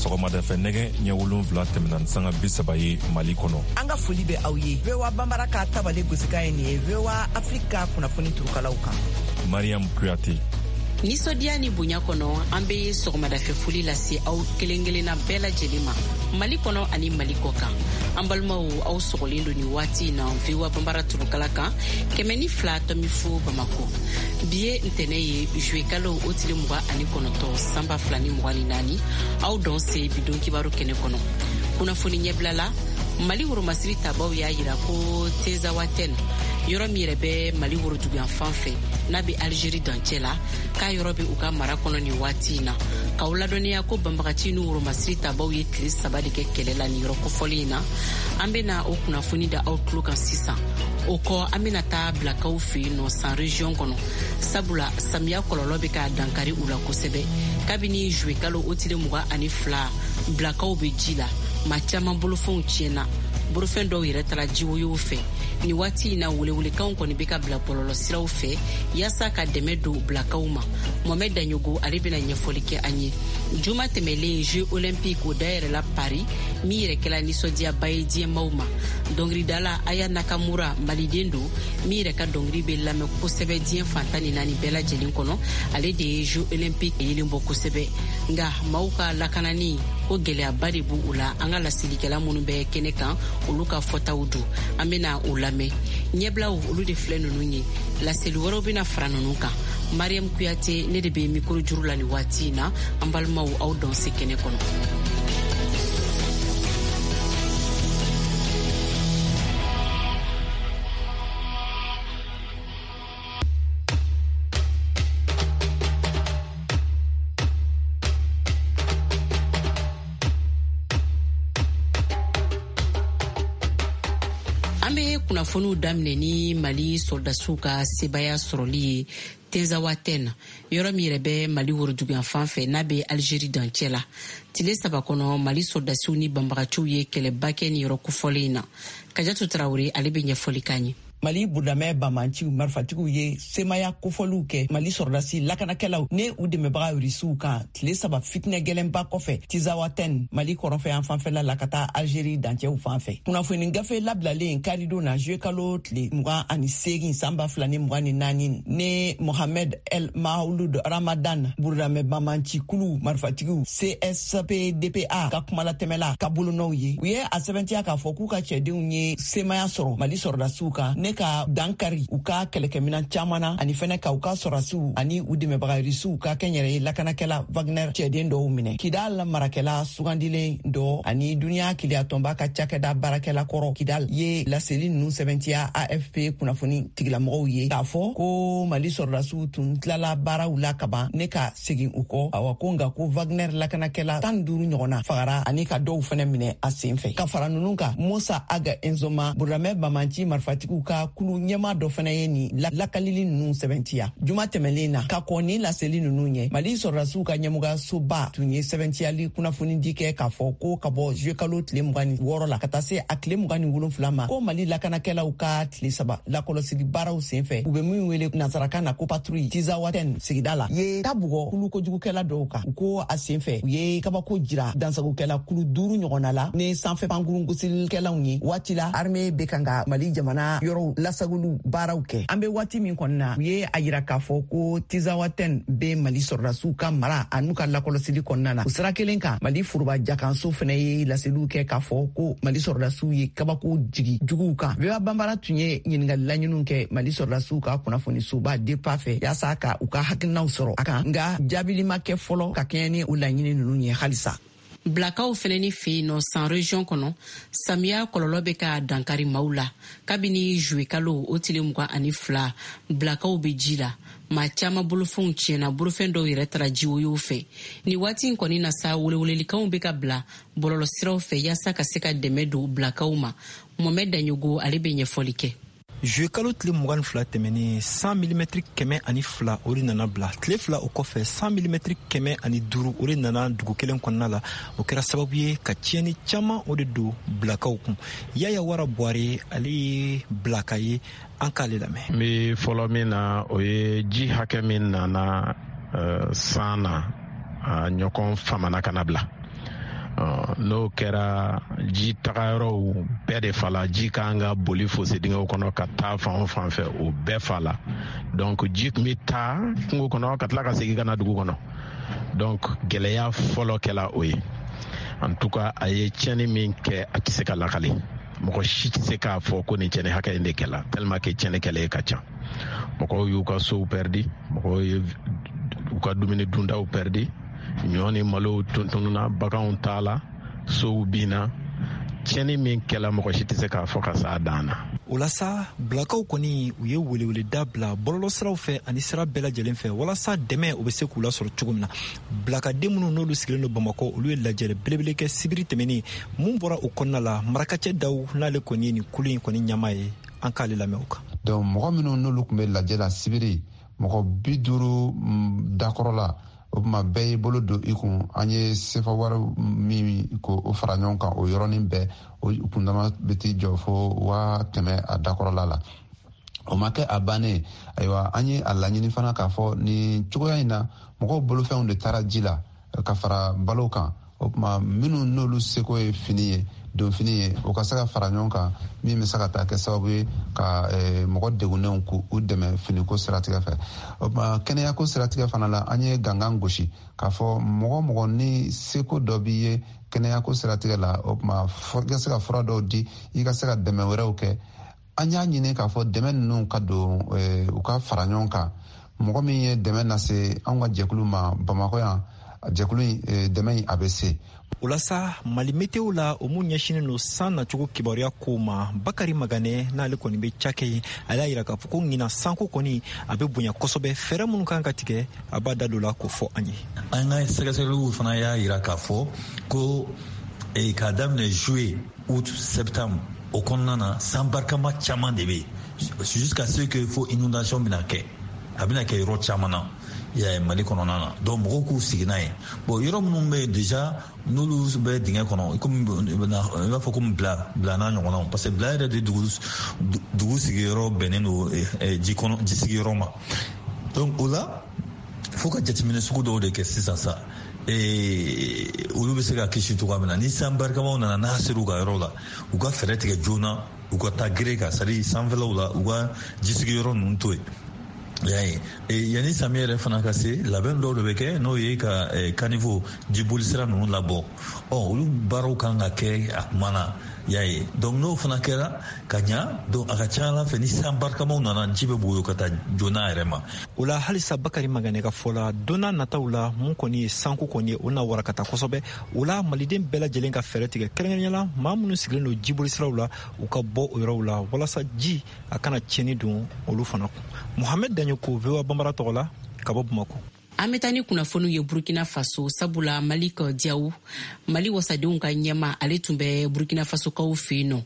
Sɔgɔmadafɛ nɛgɛ ɲɛ 7 tɛmɛna ni sanga 30 ye Mali kɔnɔ. An ka foli bɛ aw ye. VOA Banbara ka tabale gosikan ye nin ye VOA Afrique ka kunnafoni turukalaw kan. Mariam Kuyate. Nisɔndiya ni bonya kɔnɔ, an bɛ sɔgɔmadafɛ foli lase aw kelen kelenna bɛɛ lajɛlen ma Mali kɔnɔ ani Mali kɔ kan. An balimaw, aw sɔgɔlen don nin waati in na VOA Banbara turukala kan 102.0 Bamako. Bi ye ntɛnɛ ye, juillet kalo o tile 29 san 2024. Aw dɔn se bi don kibaru kɛnɛ kɔnɔ. Kunnafoni ɲɛbila la, Mali woromasiri tabaw y'a yira ko Tinzawatɛn, yɔrɔ min yɛrɛ bɛ Mali woroduguyan fan fɛ n'a bɛ Algérie dancɛ la, k'a yɔrɔ bɛ u ka mara kɔnɔ nin waati in na. K'aw ladɔnniya ko banbagaci ni woromasiri tabaw ye tile 3 de kɛ kɛlɛ la nin yɔrɔ kofɔlen in na. An bɛna o kunnafoni da aw tulo kan sisan. O kɔ, an bɛna taa Bilakaw fɛ yen nɔ San region kɔnɔ, sabula samiya kɔlɔlɔ bɛ ka dankari u la kosɛbɛ. Kabini juillet kalo o tile 22, Bilakaw bɛ ji la, maa caman bolofɛnw tiɲɛna, bolofɛn dɔw yɛrɛ taara jiwoyow fɛ. Nin waati in na, welewelekanw kɔni bɛ ka bila bɔlɔlɔsiraw fɛ yaasa ka dɛmɛ don Bilakaw ma. Mohamɛd Daɲogo, ale bɛna ɲɛfɔli kɛ an ye. Juma tɛmɛlen, Jeux olympiques o dayɛlɛla Paris, min yɛrɛ kɛla nisɔndiyaba ye diɲɛmaw ma. Dɔnkilidala Aya Nakamura, maliden don min yɛrɛ ka dɔnkili bɛ lamɛn kosɛbɛ diɲɛ fan 14 bɛɛ lajɛlen kɔnɔ, ale de ye Jeux olympiques yelen bɔ kosɛbɛ. Nka maaw ka lakanani ko gɛlɛyaba de b'u la. An ka lasilikɛla minnu bɛ kɛnɛ kan, olu ka fɔtaw don, an bɛna o lamɛn. Ɲɛbilaw olu de filɛ ninnu ye, laseli wɛrɛw bɛna fara ninnu kan. Mariam Kuyate, ne de bɛ mikoro juru la nin waati in na. An balimaw, aw dɔn se kɛnɛ kɔnɔ. An bɛ kunnafoniw daminɛ ni Mali sɔrɔdasiw ka sebaya sɔrɔli ye Tinzawatɛn, yɔrɔ min yɛrɛ bɛ Mali woroduguyan fan fɛ n'a bɛ Algérie dancɛ la. Tile 3 kɔnɔ, Mali sɔrɔdasiw ni banbagaciw ye kɛlɛba kɛ nin yɔrɔ kofɔlen in na. Kajatu Tarawele, ale bɛ ɲɛfɔli k'an ye. Mali burudamɛ bamanciw marifatigiw ye semaya kofɔliw kɛ Mali sɔrɔdasi lakanakɛlaw ne u dɛmɛbaga Irisiw kan tile 3 fitinɛ gɛlɛnba kɔfɛ Tizawatɛn, Mali kɔrɔnfɛ yan fanfɛla la ka taa Algérie dancɛw fan fɛ. Kunnafoni gafe labilalen karidon na juillet kalo tile 28 san 2024 ne Mohamed El Maouloud Ramadan, burudamɛ bamanci kulu marifatigiw CSPDPA ka kumalatɛmɛla ka bolonɔw ye, u ye a sɛbɛntiya k'a fɔ k'u ka cɛdenw ye semaya sɔrɔ Mali sɔrɔdasiw kan ne ka dankari u ka kɛlɛkɛminan caman na, ani fɛnɛ ka u ka sɔrɔdasiw ani u dɛmɛbaga Irisiw ka kɛnyɛrɛye lakanakɛla Wagner cɛden dɔw minɛ. Kidal marakɛla sugandilen dɔ ani duniya keleyatɔnba ka cakɛda baarakɛla kɔrɔ Kidal ye laseli nunu sɛbɛntiya AFP kunnafoni tigilamɔgɔw ye k'a fɔ ko Mali sɔrɔdasiw tun tilala baaraw la kaban ne ka segin u kɔ. Awa ko nka ko Wagner lakanakɛla 15 ɲɔgɔnna fagara ani ka dɔw fɛnɛ minɛ a sen fɛ. Ka fara nunu kan, Musa Aga Enzoma, burudamɛ bamanci marifatigiw ka kulu ɲɛma dɔ fɛnɛ ye nin lakalili nunu sɛbɛntiya juma tɛmɛlen na. Ka kɔn ni laseli nunu ɲɛ, Mali sɔrɔdasiw ka ɲɛmɔgɔyasoba tun ye sɛbɛntiyali kunnafonidi kɛ k'a fɔ ko ka bɔ juillet kalo tile 26 la ka taa se a tile 27 ma, ko Mali lakanakɛlaw ka tile 3 lakɔlɔsili baaraw senfɛ, u bɛ min wele nansarakan na ko patrouille, Tizawatɛn sigida la, ye ta bugɔ kulu kojugukɛla dɔw kan. U ko a senfɛ, u ye kabako jira dansagokɛla kulu 5 ɲɔgɔnna la ni sanfɛ pankurun gosilikɛlaw ye. Waati la armée bɛ kan ka Mali jamana yɔrɔw lasagoliw baaraw kɛ, an bɛ waati min kɔni na, u ye a yira k'a fɔ ko Tizawatɛn bɛ Mali sɔrɔdasiw ka mara an'u ka lakɔlɔsili kɔnɔna na. O sira kelen kan, Mali foroba jakanso fɛnɛ ye laseliw kɛ k'a fɔ ko Mali sɔrɔdasiw ye kabako jigi juguw kan. VOA Banbara tun ye ɲininkali laɲiniw kɛ Mali sɔrɔdasiw ka kunnafonisoba DEPA fɛ yaasa ka u ka hakilinaw sɔrɔ a kan, nka jaabili ma kɛ fɔlɔ ka kɛɲɛ ni o laɲini ninnu ye halisa. Bilakaw fɛnɛ ni fɛ yen nɔ San region kɔnɔ, samiya kɔlɔlɔ bɛ ka dankari maaw la. Kabini juillet kalo o tile 22, Bilakaw bɛ ji la, maa caman bolofɛnw tiɲɛna, bolofɛn dɔw yɛrɛ taara jiwoyow fɛ. Nin waati in kɔni na sa, welewelelikanw bɛ ka bila bɔlɔlɔsiraw fɛ yaasa ka se ka dɛmɛ don Bilakaw ma. Mohamɛd Daɲogo, ale bɛ ɲɛfɔli kɛ. Juillet kalo tile 22 tɛmɛnen, 100 milimɛtiri 102 o de nana bila. Tile 2 o kɔfɛ, 100 milimɛtiri 105 o de nana dugu kelen kɔnɔna la. O kɛra sababu ye ka tiɲɛni caman o de don Bilakaw kun. Yaya Wara Buware, ale ye Bilaka ye, an k'ale lamɛn. N bɛ fɔlɔ min na, o ye ji hakɛ min nana san na, a ɲɔgɔn famana ka na bila. N'o kɛra, ji tagayɔrɔw bɛɛ de fala. Ji kan ka boli fosse dingɛw kɔnɔ ka taa fan o fan fɛ, o bɛɛ fala. Donc ji tun bɛ taa kungo kɔnɔ ka tila ka segin ka na dugu kɔnɔ. Donc gɛlɛya fɔlɔ kɛla o ye. En tout cas, a ye tiɲɛni min kɛ, a tɛ se ka lakale. Mɔgɔ si tɛ se k'a fɔ ko nin tiɲɛni hakɛ in de kɛla, tellement que tiɲɛni kɛlen ka ca. Mɔgɔw y'u ka sow pɛridi, mɔgɔw ye u ka dumuni duntaw pɛridi, ɲɔ ni malow tununna, baganw taala, sow binna. Tiɲɛni min kɛla, mɔgɔ si tɛ se k'a fɔ ka s'a dan na. O la sa, Bilakaw kɔni, u ye weleweleda bila bɔlɔlɔsiraw fɛ ani sira bɛɛ lajɛlen fɛ walasa dɛmɛ o bɛ se k'u lasɔrɔ cogo min na. Bilakaden minnu n'olu sigilen don Bamakɔ, olu ye lajɛrɛ belebele kɛ sibiri tɛmɛnen. Mun bɔra o kɔnɔna la? Marakacɛ Daw n'ale kɔni ye nin kulu in kɔni ɲɛmaa ye, an k'ale lamɛn o kan. Donc mɔgɔ minnu n'olu tun bɛ lajɛ la sibiri, mɔgɔ 50 dakɔrɔ la, o tuma bɛɛ y'i bolo don i kun. An ye sefa wari min ko o fara ɲɔgɔn kan, o yɔrɔnin bɛɛ o kundama bɛ t'i jɔ fo 100 000 a dakɔrɔla la. O ma kɛ a bannen. Ayiwa, an ye a laɲini fana k'a fɔ nin cogoya in na, mɔgɔw bolofɛnw de taara ji la ka fara balo kan. O tuma minnu n'olu seko ye fini ye, donfini ye, o ka se ka fara ɲɔgɔn kan, min bɛ se ka taa kɛ sababu ye ka mɔgɔ degunnenw k'u dɛmɛ finiko siratigɛ fɛ. O tuma kɛnɛyako siratigɛ fana la, an ye gangan gosi k'a fɔ mɔgɔ mɔgɔ ni seko dɔ b'i ye kɛnɛyako siratigɛ la, o tuma i ka se ka fura dɔw di, i ka se ka dɛmɛ wɛrɛw kɛ. An y'a ɲini k'a fɔ dɛmɛ ninnu ka don, u ka fara ɲɔgɔn kan. Mɔgɔ min ye dɛmɛ lase anw ka jɛkulu ma Bamakɔ yan, jɛkulu in dɛmɛ in a bɛ se. O la sa, Mali Meteo la, o mun ɲɛsinen don san nacogo kibaruya kow ma, Bakari Maganɛ n'ale kɔni bɛ cakɛ ye, ale y'a yira k'a fɔ ko ɲinan sanko kɔni a bɛ bonya kosɛbɛ. Fɛɛrɛ minnu kan ka tigɛ, a b'a da don la k'o fɔ an ye. An ka sɛgɛsɛgɛliw fana y'a yira k'a fɔ ko k'a daminɛ juillet, août, septembre, o kɔnɔna na, san barikama caman de bɛ yen, jusqu'à ce que fo inondation bɛna kɛ. A bɛna kɛ yɔrɔ caman na Mali kɔnɔna na. Donc mɔgɔw k'u sigi n'a ye. Bon, yɔrɔ minnu bɛ yen déjà, n'olu bɛ dingɛ kɔnɔ, komi i b'a fɔ komi Bila, Bila n'a ɲɔgɔnnaw, parce que Bila yɛrɛ de dugu sigiyɔrɔ bɛnnen don ji kɔnɔ, ji sigiyɔrɔ ma. Donc o la, fo ka jateminɛ sugu dɔw de kɛ sisan sa, olu bɛ se ka kisi cogoya min na ni san barikamaw nana. N'a ser'u ka yɔrɔ la, u ka fɛɛrɛ tigɛ joona, u ka taa gere kan, c'est à dire sanfɛlaw la, u ka jisigiyɔrɔ ninnu to yen. Y'a ye, yanni samiya yɛrɛ fana ka se, labɛn dɔw de bɛ kɛ, n'o ye ka caniveau, jiboli sira ninnu labɔ. Ɔ olu baaraw kan ka kɛ a kuma na. Y'a ye, donc n'o fana kɛra ka ɲa, donc a ka ca ala fɛ, ni san barikamaw nana, ji bɛ boyo ka taa joona yɛrɛ ma. O la halisa, Bakari Maganɛ ka fɔ la, don n'a nataw la, mun kɔni ye sanko kɔni ye, o na warakata kosɛbɛ. O la, maliden bɛɛ lajɛlen ka fɛɛrɛ tigɛ, kɛrɛnkɛrɛnnenya la maa minnu sigilen don jiboli siraw la, u ka bɔ o yɔrɔw la walasa ji a kana tiɲɛni don olu fana kun. Mohamɛd Daɲoko, VOA Banbara tɔgɔ la, ka bɔ Bamako. An bɛ taa ni kunnafoniw ye Burkina Faso, sabula Malik Diaw, Mali wasadenw ka ɲɛma, ale tun bɛ Burkina Fasokaw fɛ yen nɔ.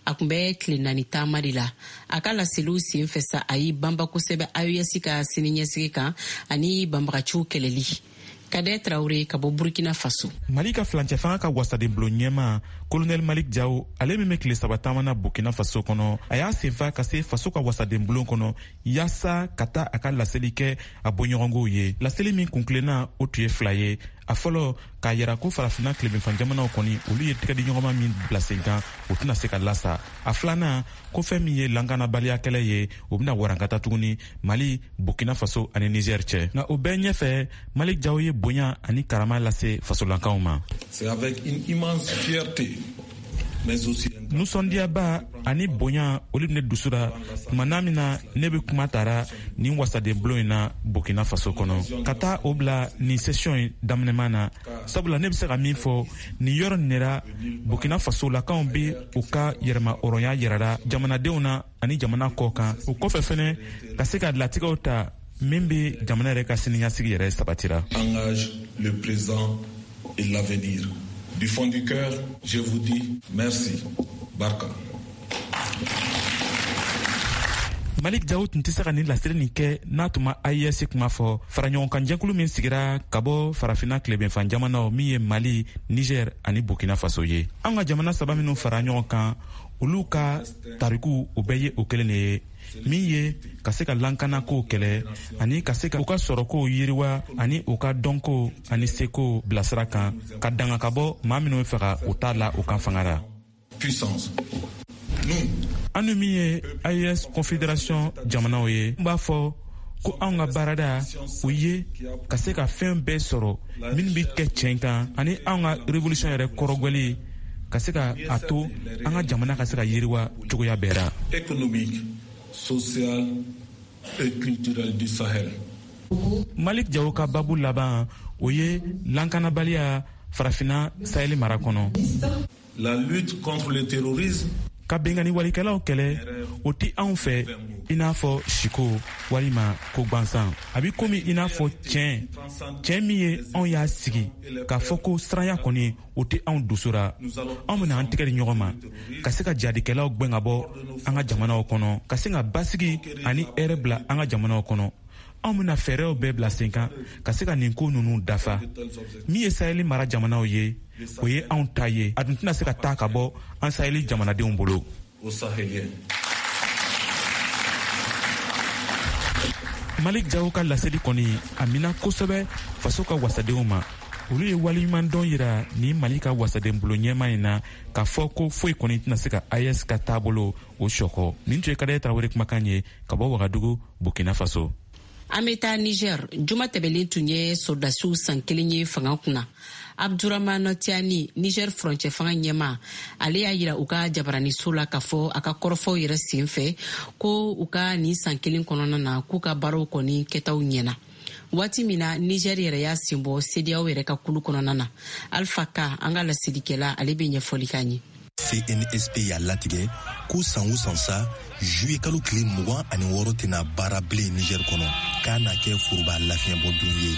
A tun bɛ tile 4 taama de la. A ka laseliw sen fɛ sa, a y'i banba kosɛbɛ AES ka siniɲɛsigi kan ani banbagaciw kɛlɛli. Kadɛ Tarawele ka bɔ Burkina Faso. Mali ka filancɛ fanga ka wasadenbulon ɲɛma, Kolonɛli Malik Jaw, ale min bɛ tile 3 taama na Burkina Faso kɔnɔ, a y'a senfa ka se faso ka wasadenbulon kɔnɔ yaasa ka taa a ka laseli kɛ a bɔɲɔgɔnkow ye. Laseli min kunkilenna, o tun ye fila ye. A fɔlɔ, k'a yira ko Farafinna tilebinfan jamanaw kɔni, olu ye tigɛdiɲɔgɔnma min bila sen kan, o tɛna se ka lasa. A filanan, ko fɛn min ye lankanabaliya kɛlɛ ye, o bɛna warankata tuguni Mali, Burkina Faso ani Niger cɛ. Nka o bɛɛ ɲɛfɛ, Malik Jaw ye bonya ani karama lase fasolankanw ma. C'est avec une immense fierté, mais aussi Nisɔndiyaba ani bonya, olu bɛ ne dusu la tuma n'a min na ne bɛ kuma tara nin wasadenbulon in na Burkina Faso kɔnɔ, ka taa o bila nin session in daminɛman na, sabula ne bɛ se ka min fɔ nin yɔrɔ nin la, Burkina Faso lakaw bɛ u ka yɛrɛma hɔrɔnya yirara jamanadenw na ani jamana kɔ kan. O kɔfɛ fɛnɛ, ka se ka latigɛw ta min bɛ jamana yɛrɛ ka siniɲɛsigi yɛrɛ sabatira. Engage le présent et l'avenir. Du fond du cœur, je vous dis merci. Barka. Malik Jaw tun tɛ se ka nin laseli nin kɛ n'a tun ma AES kuma fɔ, faraɲɔgɔnkan min sigira ka bɔ Farafinna tilebenfan jamanaw, min ye Mali, Niger ani Burkina Faso ye. An ka jamana saba minnu fara ɲɔgɔn kan, olu ka tariku, o bɛɛ ye o kelen de ye. Min ye ka se ka lankanakow kɛlɛ ani ka se ka u ka sɔrɔkow yiriwa ani u ka dɔnko ani seko bilasira kan, ka danga ka bɔ maa minnu bɛ fɛ ka u ta la u kan fanga la. An ni min ye AES Confédération jamanaw ye, n b'a fɔ ko anw ka baarada o ye ka se ka fɛn bɛɛ sɔrɔ minnu bɛ kɛ tiɲɛ kan, ani anw ka révolution yɛrɛ kɔrɔgwɛli ka se ka a to an ka jamana ka se ka yiriwa cogoya bɛɛ la. Économique, social et culturel du Sahel. Malik Jawo ka babu laban, o ye lankanabaliya Farafina Saheli mara kɔnɔ. La lutte contre le terrorisme. Ka bengani walikɛlaw kɛlɛ, o tɛ anw fɛ i n'a fɔ siko walima ko gwansan. A bɛ komi i n'a fɔ tiɲɛ tiɲɛ min ye anw y'a sigi k'a fɔ ko siranya kɔni, o tɛ anw dusu ra. Anw bɛna an tɛgɛ di ɲɔgɔn ma ka se ka jadikɛlaw gwɛn ka bɔ an ka jamanaw kɔnɔ, ka se ka basigi ani hɛrɛ bila an ka jamanaw kɔnɔ. Anw bɛna fɛɛrɛw bɛɛ bila sen kan ka se ka nin ko ninnu dafa. Min ye Saheli mara jamanaw ye, o ye anw ta ye. A dun tɛna se ka taa ka bɔ an Saheli jamanadenw bolo. Malik Jawo ka laseli kɔni a mina kosɛbɛ faso ka wasadenw ma. Olu ye waleɲumandɔn yira ni Mali ka wasadenbulon ɲɛma in na, k'a fɔ ko foyi kɔni tɛna se ka AES ka taabolo o sɔkɔ. Nin tun ye Kadɛrɛ Tarawele kumakan ye ka bɔ Wagadugu, Burkina Faso. An bɛ taa Niger. Juma tɛmɛlen tun ye sɔrɔdasiw san kelen ye fanga kunna. Abdurahman Tiani, Niger furancɛ fanga ɲɛma, ale y'a yira u ka jabaraniso la k'a fɔ a ka kɔrɔfɔw yɛrɛ sen fɛ ko u ka nin san kelen kɔnɔna na, k'u ka baaraw kɔni kɛtaw ɲɛna. Waati min na Niger yɛrɛ y'a sen bɔ CEDEAO yɛrɛ ka kulu kɔnɔna na. Alpha Ka, an ka laselikɛla, ale bɛ ɲɛfɔli k'an ye. CNSP y'a latigɛ ko san o san sa, juillet kalo tile 26 tɛna baara bilen Niger kɔnɔ, k'a na kɛ foroba lafiɲɛbɔ don ye.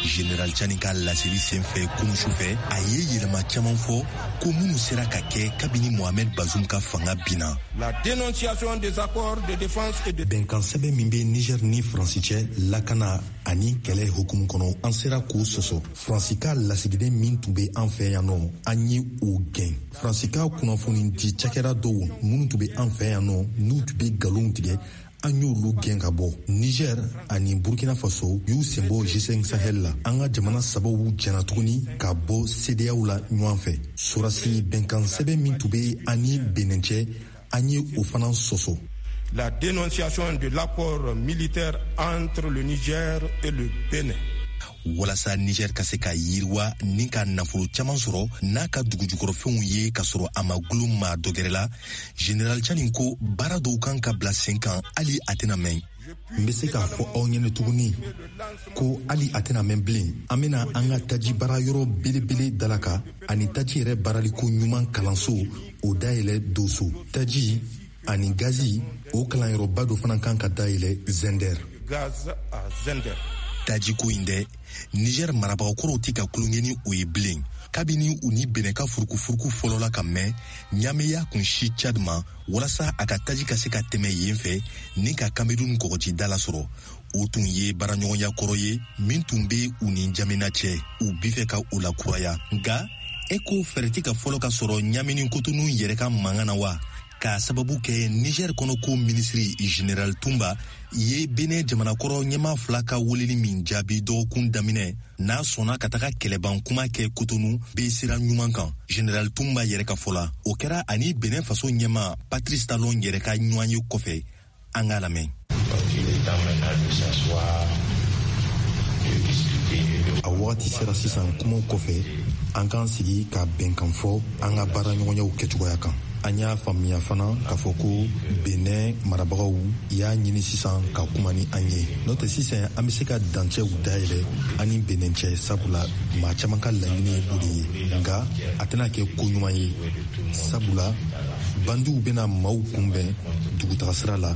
Général Tiani ka laseli senfɛ kunu sufɛ, a ye yɛlɛma caman fɔ ko minnu sera ka kɛ kabini Mohamed Bazoum ka fanga binna. La dénonciation des accords de défense et de Bɛnkan sɛbɛn min bɛ Niger ni Faransi cɛ lakana ani kɛlɛ hukumu kɔnɔ, an sera k'o sɔsɔ. Faransi ka lasigiden min tun bɛ an fɛ yan nɔ, an ye o gɛn. Faransi ka kunnafoni di cakɛda dɔw minnu tun bɛ an fɛ yan nɔ, n'u tun bɛ nkalonw tigɛ, an y'olu gɛn ka bɔ. Niger ani Burkina Faso y'u senbɔ G5 Sahel la. An ka jamana sabaw jɛna tuguni ka bɔ CEDEAO la ɲɔgɔn fɛ. Sɔrɔdasi bɛnkan sɛbɛn min tun bɛ ani Benin cɛ, an ye o fana sɔsɔ. La dénonciation de l'accord militaire entre le Niger et le Bénin. Walasa Niger ka se ka yiriwa ni ka nafolo caman sɔrɔ n'a ka dugujukɔrɔfɛnw ye ka sɔrɔ a ma gulon maa dɔ gɛrɛ la, Général Tiani ko baara dɔw kan ka bila sen kan hali a tɛna mɛn. N bɛ se k'a fɔ aw ɲɛnɛ tuguni ko hali a tɛna mɛn bilen, an bɛna an ka taji baara yɔrɔ belebele dalaka ani taji yɛrɛ baaraliko ɲuman kalanso o dayɛlɛ Doso. Taji ani gazi, o kalanyɔrɔba dɔ fana kan ka dayɛlɛ Zender. Gaz à Zender. Tajiko in dɛ, Niger marabagakɔrɔw tɛ ka tulonkɛ ni o ye bilen. Kabini u ni Benin ka furukufuruku fɔlɔla ka mɛn, Ɲame y'a kun si Tchad ma walasa a ka taji ka se ka tɛmɛ yen fɛ ni ka Cameroun kɔgɔjida lasɔrɔ. O tun ye baaraɲɔgɔnya kɔrɔ ye min tun bɛ u ni Jamena cɛ. U bi fɛ ka o lakuraya, nka e ko fɛɛrɛ tɛ ka fɔlɔ ka sɔrɔ Ɲame ni Kotonu yɛrɛ ka mankan na wa? K'a sababu kɛ Niger kɔnɔko minisiri Général Tumba ye Benin jamanakɔrɔ ɲɛmaa fila ka weleli min jaabi dɔgɔkun daminɛ, n'a sɔnna ka taga kɛlɛban kuma kɛ Kotonu bɛ sira ɲuman kan. Général Tumba yɛrɛ ka fɔ la, o kɛra ani Benin faso ɲɛmaa Patrice Talon yɛrɛ ka ɲɔgɔn ye kɔfɛ. An k'a lamɛn. A wagati sera sisan, kumaw kɔfɛ, an k'an sigi ka bɛnkan fɔ an ka baaraɲɔgɔnyaw kɛcogoya kan. An y'a faamuya fana k'a fɔ ko Benin marabagaw y'a ɲini sisan ka kuma ni an ye. N'o tɛ, sisan an bɛ se ka dancɛw dayɛlɛ an ni Benin cɛ, sabula maa caman ka laɲini ye o de ye. Nka a tɛna kɛ ko ɲuman ye, sabula bandiw bɛna maaw kunbɛn dugutaga sira la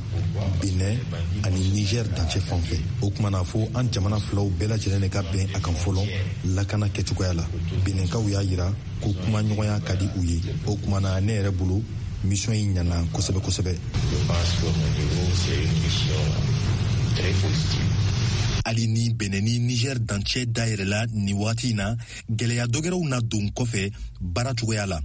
Benin ani Niger dancɛ fan fɛ. O tuma na, fo an jamana filaw bɛɛ lajɛlen de ka bɛn a kan fɔlɔ lakana kɛcogoya la. Beninkaw y'a yira ko kumaɲɔgɔnya ka di u ye. O tuma na, ne yɛrɛ bolo, mission in ɲana kosɛbɛ kosɛbɛ. Hali ni Benin ni Niger dancɛ dayɛlɛla nin wagati in na, gɛlɛya dɔgɛrɛw na don kɔfɛ baara cogoya la,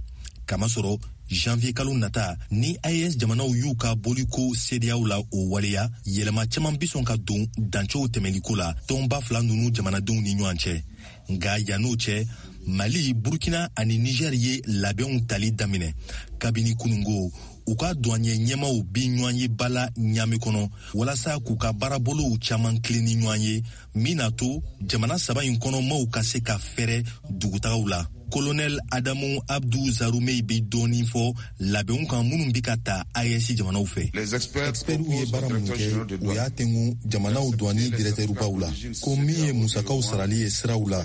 kamasɔrɔ Janvier kalo nata, ni AES jamanaw y'u ka boliko CEDEAO la o waleya, yɛlɛma caman bi sɔn ka don dancɛw tɛmɛliko la tɔnba fila nunu jamanadenw ni ɲɔgɔn cɛ. Nka yann'o cɛ, Mali, Burkina ani Niger ye labɛnw tali daminɛ kabini kunungo. U ka douanier ɲɛmaw bi ɲɔgɔn ye bala Ɲame kɔnɔ walasa k'u ka baarabolow caman tilen ni ɲɔgɔn ye, min n'a to jamana saba in kɔnɔ maaw ka se ka fɛrɛ dugutagaw la. Colonel Adamu Abdou Zarumei bi dɔɔni fɔ labɛnw kan minnu bi ka ta AES jamanaw fɛ. Expertw ye baara minnu kɛ, u y'a tengu jamanaw douane directeurbaw la ko min ye musakaw sarali ye siraw la,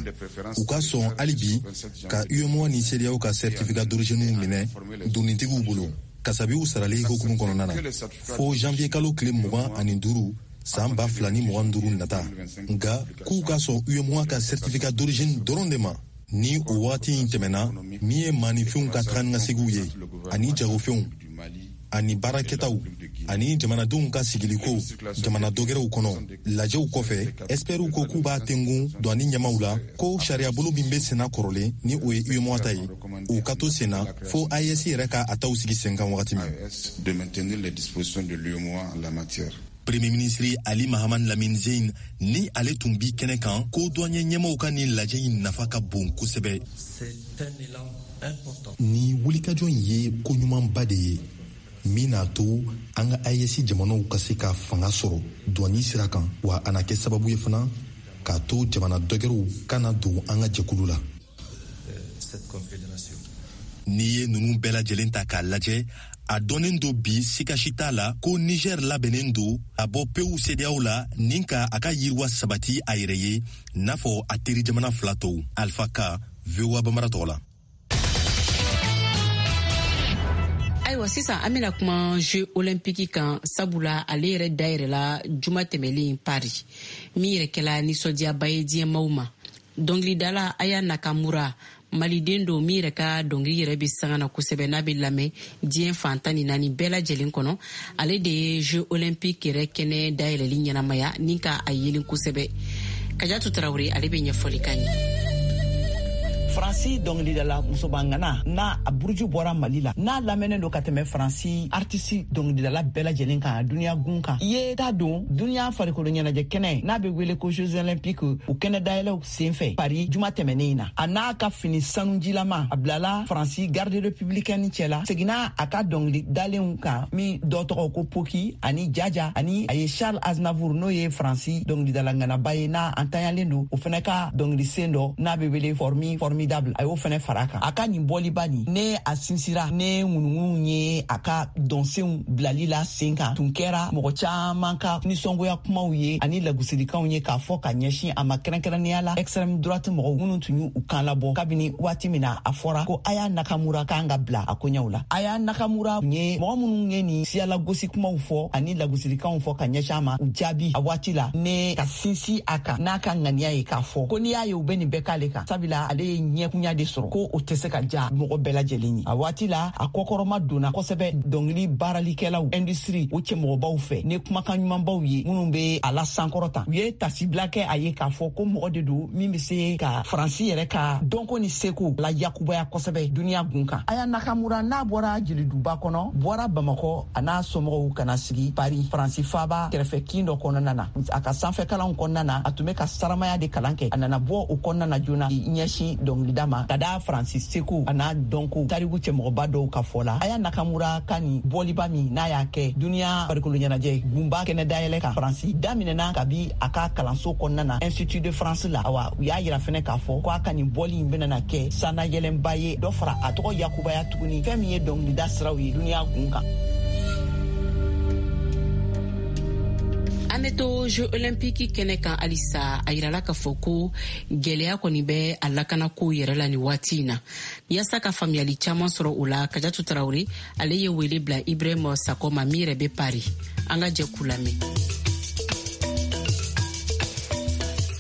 u ka sɔn hali bi ka UEMOA ni CEDEAO ka certificat d'origine minɛ donitigiw bolo kasabiw sarali hukumu kɔnɔna na fo janvier kalo tile 25 san 2025 nata. Nka k'u ka sɔn UEMOA ka certificat d'origine dɔrɔn de ma. Ni o wagati in tɛmɛna, min ye maaninfinw ka taga ni ka seginw ye ani jagofɛnw ani baarakɛtaw ani jamanadenw ka sigiliko jamana dɔgɛrɛw kɔnɔ, lajɛw kɔfɛ, ɛsipɛriw ko k'u b'a tengun douane ɲɛmaw la ko sariyabolo min bɛ senna kɔrɔlen, ni o ye UEMOA ta ye, u ka to senna fo AES yɛrɛ ka a taw sigi sen kan wagati min. Premier ministre Ali Mahaman Lamine Zeine, ni ale tun bi kɛnɛ kan, ko douanier ɲɛmaw ka nin lajɛ in nafa ka bon kosɛbɛ. Ni wulikajɔ in ye koɲumanba de ye min n'a to an ka AES jamanaw ka se ka fanga sɔrɔ douane sira kan, wa a na kɛ sababu ye fana k'a to jamana dɔgɛrɛw kana don an ka jɛkulu la. N'i ye ninnu bɛɛ lajɛlen ta k'a lajɛ, a dɔnnen don bi, sika si t'a la ko Niger labɛnnen don a bɔ pewu CEDEAO la ni ka a ka yiriwa sabati a yɛrɛ ye, n'a fɔ a teri jamana fila tɔw. Alpha Ka, VOA Bambara tɔgɔ la. Ayiwa, sisan an bena kuma jeux olympique kan, sabula ale yɛrɛ dayɛrɛla juma tɛmɛlen Paris, min yɛrɛ kɛla nisɔndiyaba ye diɲɛmaw ma. Dɔngilidala Aya Nakamura, maliden don min yɛrɛ ka dɔngili yɛrɛ bɛ sanga na kosɛbɛ, n'a bɛ lamɛn diɲɛ fan 14 bɛɛ lajɛlen kɔnɔ, ale de ye jeux olympique yɛrɛ kɛnɛ dayɛlɛli ɲɛnamaya ni ka a yelen kosɛbɛ. Kajatu Tarawele, ale bɛ ɲɛfɔli kan ye. Faransi dɔngilidala musobangana n'a a buruju bɔra Mali la, n'a lamɛnnen don ka tɛmɛ Faransi artisi dɔngilidala bɛɛ lajɛlen kan duniya gun kan, i ye ta don duniya farikolo ɲɛnajɛ kɛnɛ n'a bɛ wele ko Jeux olympiques, o kɛnɛ dayɛlɛw sen fɛ Paris juma tɛmɛnen in na. A n'a ka fini sanujilama, a bilala Faransi garde républicaine cɛla, seginna a ka dɔngili dalenw kan min dɔ tɔgɔ ko Poki ani Jaja, ani a ye Charles Aznavour, n'o ye Faransi dɔngilidala ŋanaba ye n'a an tanyalen don, o fɛnɛ ka dɔngili sen dɔ n'a bɛ wele Formidable, a y'o fɛnɛ fara kan. A ka nin bɔliba nin, ne a sinsira ne ŋunuŋunu ye a ka dɔnsenw bilali la sen kan, tun kɛra mɔgɔ caman ka nisɔngoya kumaw ye ani lagosilikanw ye k'a fɔ ka ɲɛsin a ma, kɛrɛnkɛrɛnnenya la extrême droite mɔgɔw minnu tun y'u kan labɔ kabini waati min na a fɔra ko Aya Nakamura kan ka bila a koɲɛw la. Aya Nakamura ye mɔgɔ minnu ye nin siyalagosi kumaw fɔ ani lagosilikanw fɔ ka ɲɛsin a ma, u jaabi a waati la ne ka sinsin a kan n'a ka ŋaniya ye k'a fɔ ko n'i y'a ye u bɛ nin bɛɛ k'ale kan, sabula ale ye ɲɛkunya de sɔrɔ, ko o tɛ se ka ja mɔgɔ bɛɛ lajɛlen ye. A waati la, a kɔkɔrɔma donna kosɛbɛ dɔngili baaralikɛlaw industrie o cɛmɔgɔbaw fɛ ni kumakan ɲumanbaw ye minnu bɛ a la sankɔrɔta. U ye tasibila kɛ a ye k'a fɔ ko mɔgɔ de don min bɛ se ka Faransi yɛrɛ ka dɔnko ni seko la yakubaya kosɛbɛ duniya gun kan. Aya Nakamura n'a bɔra jeliduba kɔnɔ, bɔra Bamakɔ a n'a somɔgɔw ka na sigi Paris, Faransi faaba kɛrɛfɛ kin dɔ kɔnɔna na. A ka sanfɛ kalanw kɔnɔna na, a tun bɛ ka saramaya de kalan kɛ. A nana bɔ o kɔnɔna na joona ɲɛsin dɔngilida ma ka da Faransi seko a n'a dɔnko tariku cɛmɔgɔba dɔw ka fɔ la. Aya Nakamura ka nin bɔliba min n'a y'a kɛ duniya farikolo ɲɛnajɛ gunba kɛnɛ dayɛlɛ kan Faransi, daminɛna kabi a ka kalanso kɔnɔna na, Institut de France la. Awa, u y'a yira fɛnɛ k'a fɔ ko a ka nin bɔli in bɛna kɛ sannayɛlɛnba ye, dɔ fara a tɔgɔ yakubaya tuguni fɛn min ye dɔngilida siraw ye duniya gun kan. An bɛ to jeux olympique kɛnɛ kan halisa. A yirala k'a fɔ ko gwɛlɛya kɔni bɛ a lakanako yɛrɛ la nin waati in na. Yaasa ka faamuyali caman sɔrɔ o la, Kajatu Tarawele, ale ye wele bila Ibrahim Sakɔ ma min yɛrɛ bɛ Paris. An ka jɛ k'u lamɛn.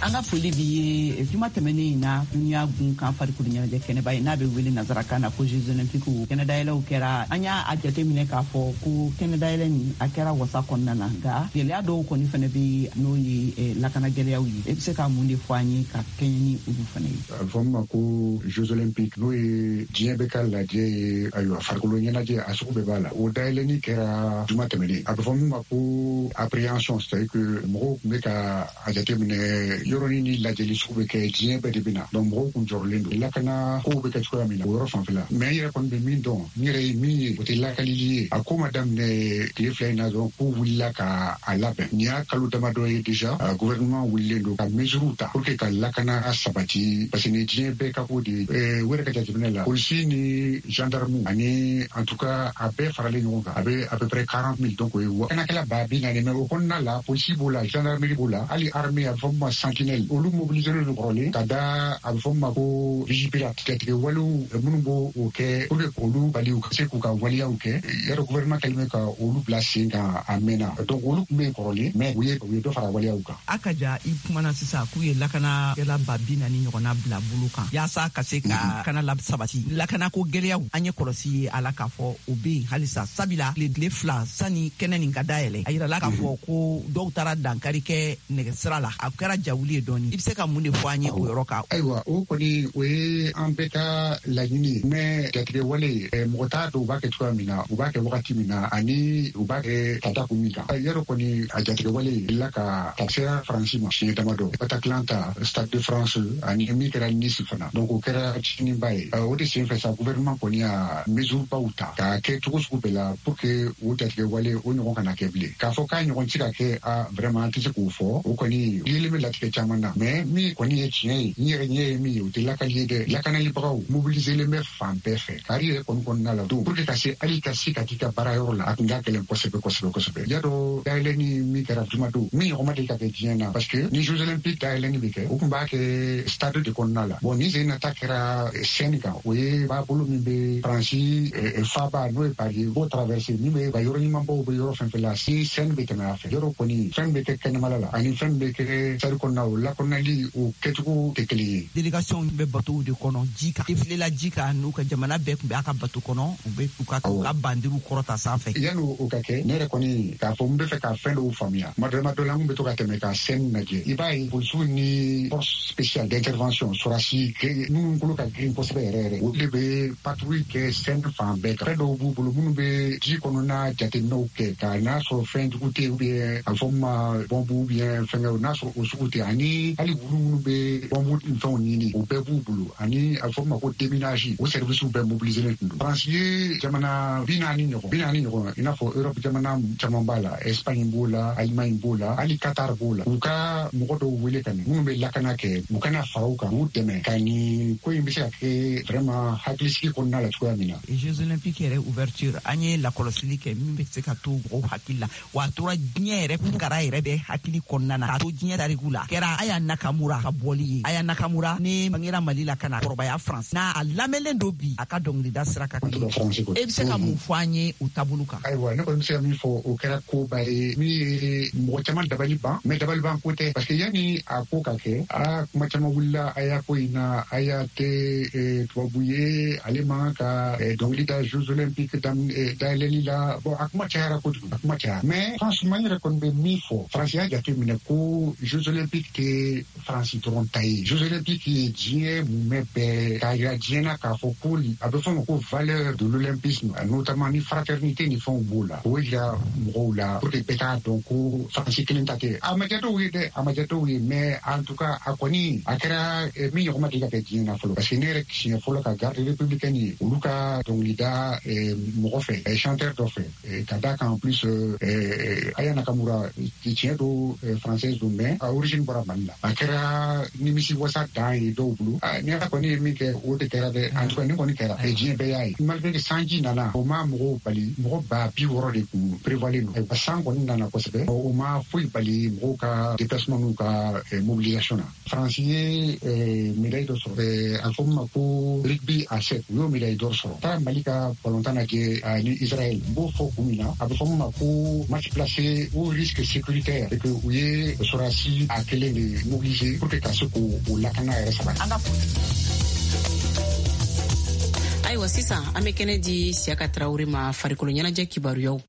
An ka foli b'i ye. Juma tɛmɛnen in na, duniya gun kan farikolo ɲɛnajɛ kɛnɛba ye, n'a bɛ wele nansarakan na ko Jeux olympiques, kɛnɛdayɛlɛw kɛra. An y'a a jate minɛ k'a fɔ ko kɛnɛdayɛlɛ nin, a kɛra wasa kɔnɔna na, nka gɛlɛya dɔw kɔni fɛnɛ bɛ, n'o ye lakana gɛlɛyaw ye. E bɛ se ka mun de fɔ an ye ka kɛɲɛ ni olu fɛnɛ ye? A bɛ fɔ min ma ko Jeux olympiques, n'o ye diɲɛ bɛɛ ka lajɛ ye. Ayiwa, farikolo ɲɛnajɛ a sugu bɛɛ b'a la. O dayɛlɛni kɛra juma tɛmɛnen. A bɛ fɔ min ma ko appréhension, c'est à dire que mɔgɔw tun bɛ ka a jateminɛ yɔrɔnin ni lajɛli sugu bɛ kɛ, diɲɛ bɛɛ de bɛ na. Donc mɔgɔw kun jɔrɔlen don lakana kow bɛ kɛ cogoya min na o yɔrɔ fanfɛla. Mais n yɛrɛ kɔni bɛ min dɔn, n yɛrɛ ye min ye, o tɛ lakalili ye. A ko ma daminɛ tile 2 in na dɔrɔn k'u wulila ka a labɛn. Nin y'a kalo damadɔ ye déjà, gouvernement wulilen don ka mesures ta pour que ka lakana sabati, parce que nin diɲɛ bɛɛ ka ko de ye. U yɛrɛ ka jateminɛ la, polisi ni gendarme ani, en tout cas, a bɛɛ faralen ɲɔgɔn kan, a bɛ à peu près 40 000. Donc o ye lakanakɛla 40 000. Mais o kɔnɔna la, polisi b'o la, gendarmerie b'o la, hali armée, a bɛ fɔ min ma sentinelle, olu mobilisé don kɔrɔlen ka da, a bɛ fɔ min ma ko Vigipirate, jatigɛ walew minnu b'o o kɛ pour que k'olu bali u ka se k'u ka waleyaw kɛ. Yɔrɔ gouvernement kɛlen bɛ ka olu bila sen kan a mɛnna. Donc olu tun bɛ yen kɔrɔlen, mais u ye dɔ fara waleyaw kan. A ka ja, i kumana sisan k'u ye lakanakɛla 40 000 ɲɔgɔnna bila bolo kan yaasa ka se ka kana la sabati. Lakanako gɛlɛyaw, an ye kɔlɔsi ye a la k'a fɔ o be yen halisa, sabila tile 2 sani kɛnɛ nin ka dayɛlɛ, a yirala k'a fɔ ko dɔw taara dankari kɛ nɛgɛsira la. A kɛra jawuli ye dɔɔni. I be se ka mun de fɔ an ye o yɔrɔ kan? Ayiwa, o kɔni, o ye an bɛɛ ka laɲini ye. Mais jatigɛ wale, mɔgɔ t'a dɔn u b'a kɛ cogoya min na, u b'a kɛ wagati min na, ani u b'a kɛ ka da kun min kan. Yɔrɔ kɔni, a jatigɛ wale la ka ka sera Faransi ma siɲɛ damadɔ, Bataclan ta, Stade de France, ani min kɛra Nice fana. Donc o kɛra tiɲɛniba ye. O de sen fɛ sa, gouvernement kɔni y'a mesure baw ta k'a kɛ cogo sugu bɛɛ la pour que o jatigɛ wale o ɲɔgɔn kana kɛ bilen. K'a fɔ k'a ɲɔgɔn ti ka kɛ, a vraiment, an tɛ se k'o fɔ. O kɔni yelen bɛ latigɛ caman na. Mais min kɔni ye tiɲɛ ye, n yɛrɛ ɲɛ ye min ye, o tɛ lakali ye dɛ. Lakanalibagaw mobiliselen bɛ fan bɛɛ fɛ kari yɛrɛ kɔni kɔnɔna la don pour que ka se hali ka se ka t'i ka baara yɔrɔ la, a tun ka gɛlɛn kosɛbɛ kosɛbɛ kosɛbɛ. Y'a dɔn, dayɛlɛni min kɛra jumadon, min ɲɔgɔn ma deli ka kɛ diɲɛ na, parce que ni Jeux olympiques dayɛlɛni bɛ kɛ, u tun b'a kɛ stade de kɔnɔna la. Bon, ni sen nata kɛra Seine kan, o ye b'a bolo min bɛ Faransi faaba, n'o ye Paris ye, b'o traverser, min bɛ ka yɔrɔ ɲumanbaw bɛ yɔrɔ fɛn fɛn la, si Seine bɛ tɛmɛ a fɛ. Yɔrɔ kɔni, fɛn bɛ kɛ kɛnɛmala la ani fɛn bɛ kɛ stade kɔnɔna, o lakɔnali o kɛcogo tɛ kelen ye. Délégation bɛ batow de kɔnɔ ji kan, défilé la ji kan, n'u ka jamana bɛɛ tun bɛ a ka bato kɔnɔ, u bɛ u ka bandiriw kɔrɔta sanfɛ. Yanni o ka kɛ, ne yɛrɛ kɔni k'a fɔ n bɛ fɛ ka fɛn dɔw faamuya, tuma dɔ la, n bɛ to ka tɛmɛ ka Seine lajɛ, i b'a ye polisiw ni force spéciale d'intervention, sɔrɔdasi minnu kolo ka girin kosɛbɛ yɛrɛ yɛrɛ, olu de bɛ patrouille kɛ Seine fan bɛɛ kan. Fɛn dɔw b'u bolo minnu bɛ ji kɔnɔna jateminɛw kɛ ka n'a sɔrɔ fɛn jugu tɛ yen, ou bien a bɛ fɔ min ma bɔnbu, ou bien fɛnkɛw, n'a sɔrɔ o sugu tɛ, ani hali wulu minnu bɛ bɔnbu ni fɛnw ɲini, o bɛɛ b'u bolo, ani a bɛ fɔ min ma ko déminage, o service bɛɛ mobilisé tun don. Faransi ye jamana 40 ɲɔgɔn, 40 ɲɔgɔn, i n'a fɔ Europe jamana caman b'a la, Espagne b'o la, Allemagne b'o la, hali Qatar b'o la, u ka mɔgɔ dɔw wele ka na minnu bɛ lakana kɛ, u kana fara u kan k'u dɛmɛ ka nin ko in bɛ se ka kɛ vraiment hakilisigi kɔnɔna la cogoya min na. Jeux olympiques yɛrɛ ouverture, an ye lakɔlɔsili kɛ min bɛ se ka to mɔgɔw hakili la, wa a tora diɲɛ yɛrɛ kara yɛrɛ bɛ hakili kɔnɔna na, k'a to diɲɛ tariku la, kɛra Aya Nakamura ka bɔli ye. Aya Nakamura ne bangera Mali la ka na kɔrɔbaya France n'a a lamɛnlen don bi a ka dɔnkilida sira kan. E bɛ se ka mun fɔ an ye o taabolo kan? Ayiwa, ne kɔni bɛ se ka min fɔ, o kɛra koba ye min ye mɔgɔ caman dabali ban. Mais dabali ban ko tɛ, parce que yanni a ko ka kɛ, a kuma caman wulila Aya ko in na. Aya tɛ tubabu ye, ale man ka dɔnkili da Jeux olympiques dayɛlɛli la. Bon, a kuma cayara kojugu, a kuma cayara. Mais franchement, n yɛrɛ kɔni bɛ min fɔ, Faransi y'a jate minɛ ko Jeux olympiques tɛ Faransi dɔrɔn ta ye. Jeux olympiques ye diɲɛ mumɛ bɛɛ k'a yira diɲɛ na k'a fɔ ko a bɛ fɔ ma ko valeur de l'olympisme, notamment ni fraternité ni fɛnw b'o la. O yira mɔgɔw la pour que bɛɛ k'a dɔn ko Faransi kelen ta tɛ. A ma diya dɔw ye dɛ, a ma diya dɔw ye. Mais en tout cas, a kɔni a kɛra min ɲɔgɔn ma deli ka kɛ diɲɛ na fɔlɔ, parce que ne yɛrɛ siɲɛ fɔlɔ ka garde républicaine ye olu ka dɔnkilida mɔgɔ fɛ, chanteur dɔ fɛ, ka da kan. En plus, Aya Nakamura, tiɲɛ don, française don, mais a origine bɔra Mali la. A kɛra nimisi wasa dan ye dɔw bolo. Ni Ala kɔni ye min kɛ, o de kɛra dɛ. En tout cas, nin kɔni kɛra, diɲɛ bɛɛ y'a ye. Malgré que sanji nana, o ma mɔgɔw bali. Mɔgɔ 60 000 de kun prévoilen don. San kɔni nana kosɛbɛ, o ma foyi bali mɔgɔw ka déplacement n'u ka mobilisation na. Faransi ye médaille dɔ sɔrɔ, a fɔ min ma ko rugby à 7, u y'o médaille dɔ sɔrɔ. Taara Mali ka balontan lajɛ ni Israël, n b'o fɔ kun min na, a bɛ fɔ min ma ko match placé au risque sécuritaire, et que u ye sɔrɔdasi a kelen in de mobiliser pour que ka se k'o lakana yɛrɛ sabati. Ayiwa, sisan an bɛ kɛnɛ di Siyaka Tarawele ma, farikolo ɲɛnajɛ kibaruyaw.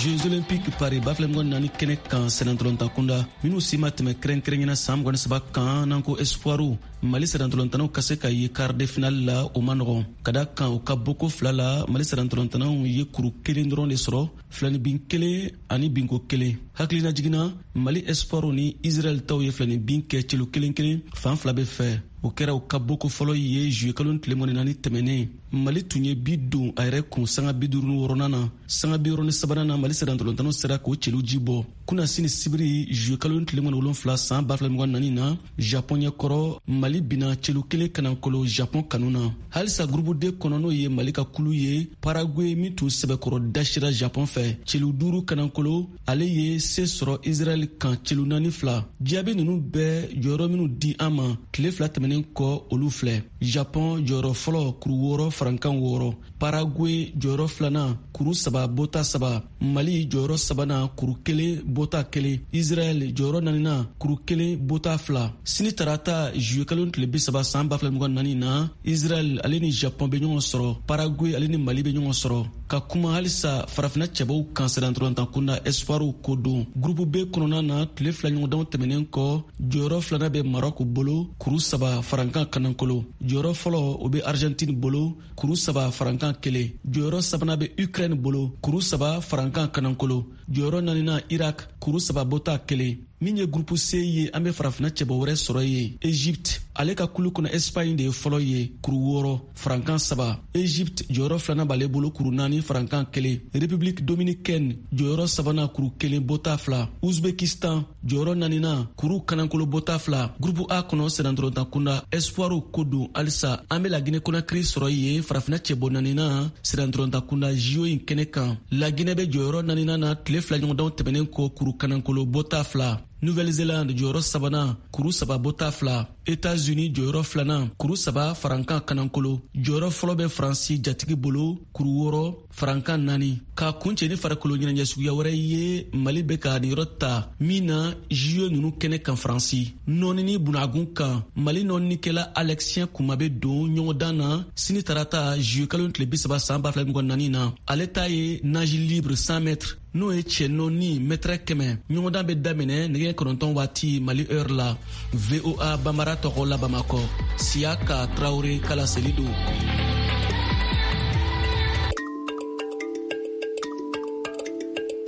Jeux Olympiques Paris 2024 kɛnɛ kan, sennantolatan kunda minnu si ma tɛmɛ kɛrɛnkɛrɛnyana san 23 kan, n'an ko espoiru, Mali sennantolatannaw ka se ka ye quart de finale la, o ma nɔgɔn, ka da kan u ka boko fila la, Mali sennantolatannaw ye kuru kelen dɔrɔn de sɔrɔ, filani bin kelen ani binko kelen. Hakilina jiginna, Mali espoiru ni Israɛl taw ye filani bin kɛ celu kelen kelen fan fila bɛ fɛ. O kɛra u ka boko fɔlɔ ye juillet kalo tile 24 tɛmɛnen. Mali tun ye bi don a yɛrɛ kun sanga 56nan na. Sanga 63nan na, Mali sennantolatannaw sera k'o celu ji bɔ. Kunasini sibiri, juillet kalo tile 27 san 2024 na, Japon ɲɛkɔrɔ, Mali bina celu kelen kanankolo Japon kanu na. Halisa groupe D kɔnɔ, n'o ye Mali ka kulu ye, Paraguay min tun sɛbɛkɔrɔ dasira Japon fɛ celu duuru kanankolo, ale ye se sɔrɔ Israɛl kan celu 4-2. Jaabi nunu bɛɛ jɔyɔrɔ minnu di an ma tile 2 tɛmɛnen kɔ, olu filɛ: Japon jɔyɔrɔ fɔlɔ, kuru 6 farankan 6; Paraguay jɔyɔrɔ filanan, kuru 3 bɔta 3; Mali jɔyɔrɔ sabanan, kuru 1 bɔta 1; Israɛl jɔyɔrɔ naaninan, kuru 1 bɔta 2. Sini tarata, juillet kalo tile 30 san 2024 na, Israɛl ale ni Japon bɛ ɲɔgɔn sɔrɔ, Paraguay ale ni Mali bɛ ɲɔgɔn sɔrɔ. Ka kuma halisa farafina cɛbaw kan, sennantolatan kunda espoiru ko don, groupe B kɔnɔna na, tile 2 ɲɔgɔndanw tɛmɛnen kɔ, jɔyɔrɔ filanan bɛ Maroc bolo, kuru 3 farankan kanankolo. Jɔyɔrɔ fɔlɔ, o bɛ Argentine bolo, kuru 3 farankan 1. Jɔyɔrɔ sabanan bɛ Ukraine bolo, kuru 3 farankan kanankolo. Jɔyɔrɔ naaninan, Irak, kuru 3 bɔta 1. Min ye groupe C ye, an bɛ farafina cɛbɔ wɛrɛ sɔrɔ yen, Egypte. Ale ka kulu kɔnɔ, Espagne de ye fɔlɔ ye, kuru 6 farankan 3. Egypte jɔyɔrɔ filanan b'ale bolo, kuru 4 farankan 1. République dominicaine jɔyɔrɔ sabanan, kuru 1 bɔta 2. Uzbekistan jɔyɔrɔ naaninan, kuru kanankolo bɔta 2. Groupe A kɔnɔ, sennantolatan kunda espoiru ko don, halisa an bɛ Laginɛ Konakiri sɔrɔ yen, farafina cɛbɔ naaninan sennantolatan kunda JO in kɛnɛ kan. Laginɛ bɛ jɔyɔrɔ naaninan na tile 2 ɲɔgɔndanw tɛmɛnen kɔ, kuru kanankolo bɔta 2. Nouvelle-Zélande jɔyɔrɔ sabanan, kuru 3 bɔta 2. États-Unis jɔyɔrɔ filanan, kuru 3 farankan kanankolo. Jɔyɔrɔ fɔlɔ bɛ Faransi jatigi bolo, kuru 6 farankan 4. Ka kuncɛ ni farikolo ɲɛnajɛ suguya wɛrɛ ye, Mali bɛ ka niyɔrɔ ta min na JO nunu kɛnɛ kan Faransi, nɔɔni ni bunagun kan, Mali nɔɔnikɛla Alexien Kuma bɛ don ɲɔgɔndan na sini tarata, juillet kalo tile 30 san 2024 na. Ale ta ye nage libre 100 mètres, n'o ye cɛ nɔɔni mɛtɛrɛ 100. Ɲɔgɔndan bɛ daminɛ nɛgɛ 9 waati Mali heure la. VOA Bambara tɔgɔ la Bamakɔ, Siyaka Tarawele ka laseli don.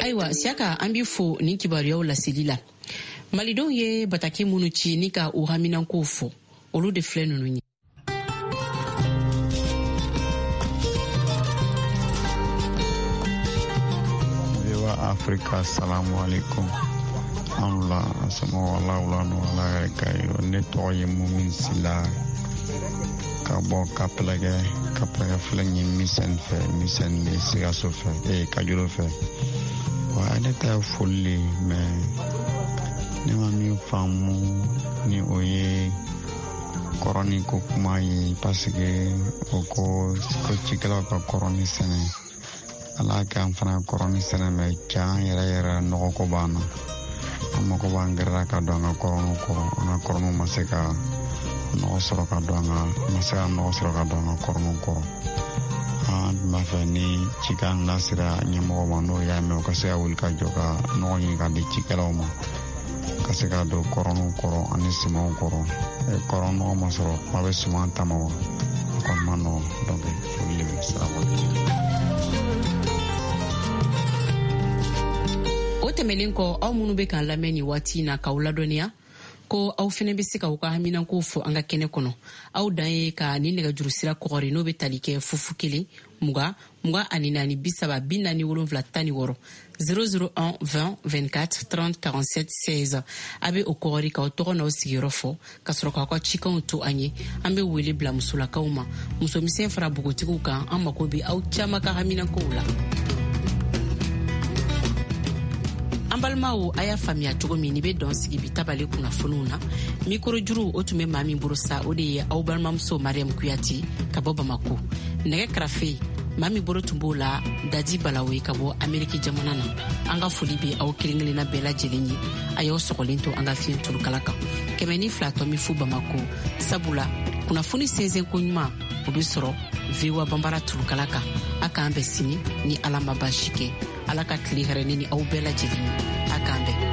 Ayiwa Siyaka, an b'i fo nin kibaruyaw laseli la. Malidenw ye bataki minnu ci ni ka u haminankow fɔ, olu de filɛ ninnu ye. Afrika, salamu alaikum. An la somɔgɔw la wula no, Ala yɛrɛ ka ye. Ne tɔgɔ ye Mumin Sila ka bɔ Kapɛlɛkɛ. Kapɛlɛkɛ filɛ nin ye Misɛn fɛ, Misɛn bɛ Sikaso fɛ, Kajolo fɛ. Wa ne ta ye foli le, mais ne ma min faamu ni o ye kɔrɔni ko kuma ye, parce que o ko ko cikɛlaw ka kɔrɔni sɛnɛ. Ala k'an fana kɔrɔni sɛnɛ, mais can yɛrɛ yɛrɛ, nɔgɔ ko b'an na. An mako b'an gɛrɛla ka don an ka kɔrɔniw kɔrɔ. An ka kɔrɔniw ma se ka nɔgɔ sɔrɔ ka don an ka ma se ka nɔgɔ sɔrɔ ka don an ka kɔrɔniw kɔrɔ. An tun b'a fɛ ni cikan lasera ɲɛmɔgɔ ma, n'o y'a mɛn, o ka se ka wuli ka jɔ ka nɔgɔ ɲini ka di cikɛlaw ma, ka se ka don kɔrɔniw kɔrɔ ani sumanw kɔrɔ. Kɔrɔ nɔgɔ ma sɔrɔ, kuma bɛ suman ta ma wa, o kɔni ma nɔgɔ. Donc foli de bɛ. Salamu. O tɛmɛnen kɔ, aw minnu bɛ k'an lamɛn nin waati na, k'aw ladɔnniya ko aw fɛnɛ bɛ se k'aw ka haminankow fɔ an ka kɛnɛ kɔnɔ. Aw dan ye ka nin nɛgɛjuru sira kɔgɔri, n'o bɛ tali kɛ 0 0 20 24 30 47 16, 001 20 24 30 47 16. A bɛ o kɔgɔri k'aw tɔgɔ n'aw sigiyɔrɔ fɔ, ka sɔrɔ k'aw ka cikanw to an ye. An bɛ wele bila musolakaw ma, musomisɛn fara npogotigiw kan. An mako bɛ aw caman ka haminankow la. An balimaw, a y'a faamuya cogo min, ni bɛ dɔn sigi bi tabale kunnafoniw na. Mikoro juru, o tun bɛ maa min bolo sa, o de ye aw balimamuso Mariam Kuyati ka bɔ Bamako. Nɛgɛ karafe, Maa min bolo tun b'o la, Dadi Balawe ka bɔ Ameriki jamana na. An ka foli bɛ aw kelen kelenna bɛɛ lajɛlen ye. A y'aw sɔgɔlen to an ka fiɲɛ turukala kan 102.0 Bamako, sabula kunnafoni sɛnsɛn ko ɲuman, o bɛ sɔrɔ VOA Banbara turukala kan. A k'an bɛn sini ni Ala ma baasi kɛ. Ala ka tile hɛrɛ ne ni aw bɛɛ lajɛlen ye. A k'an bɛn.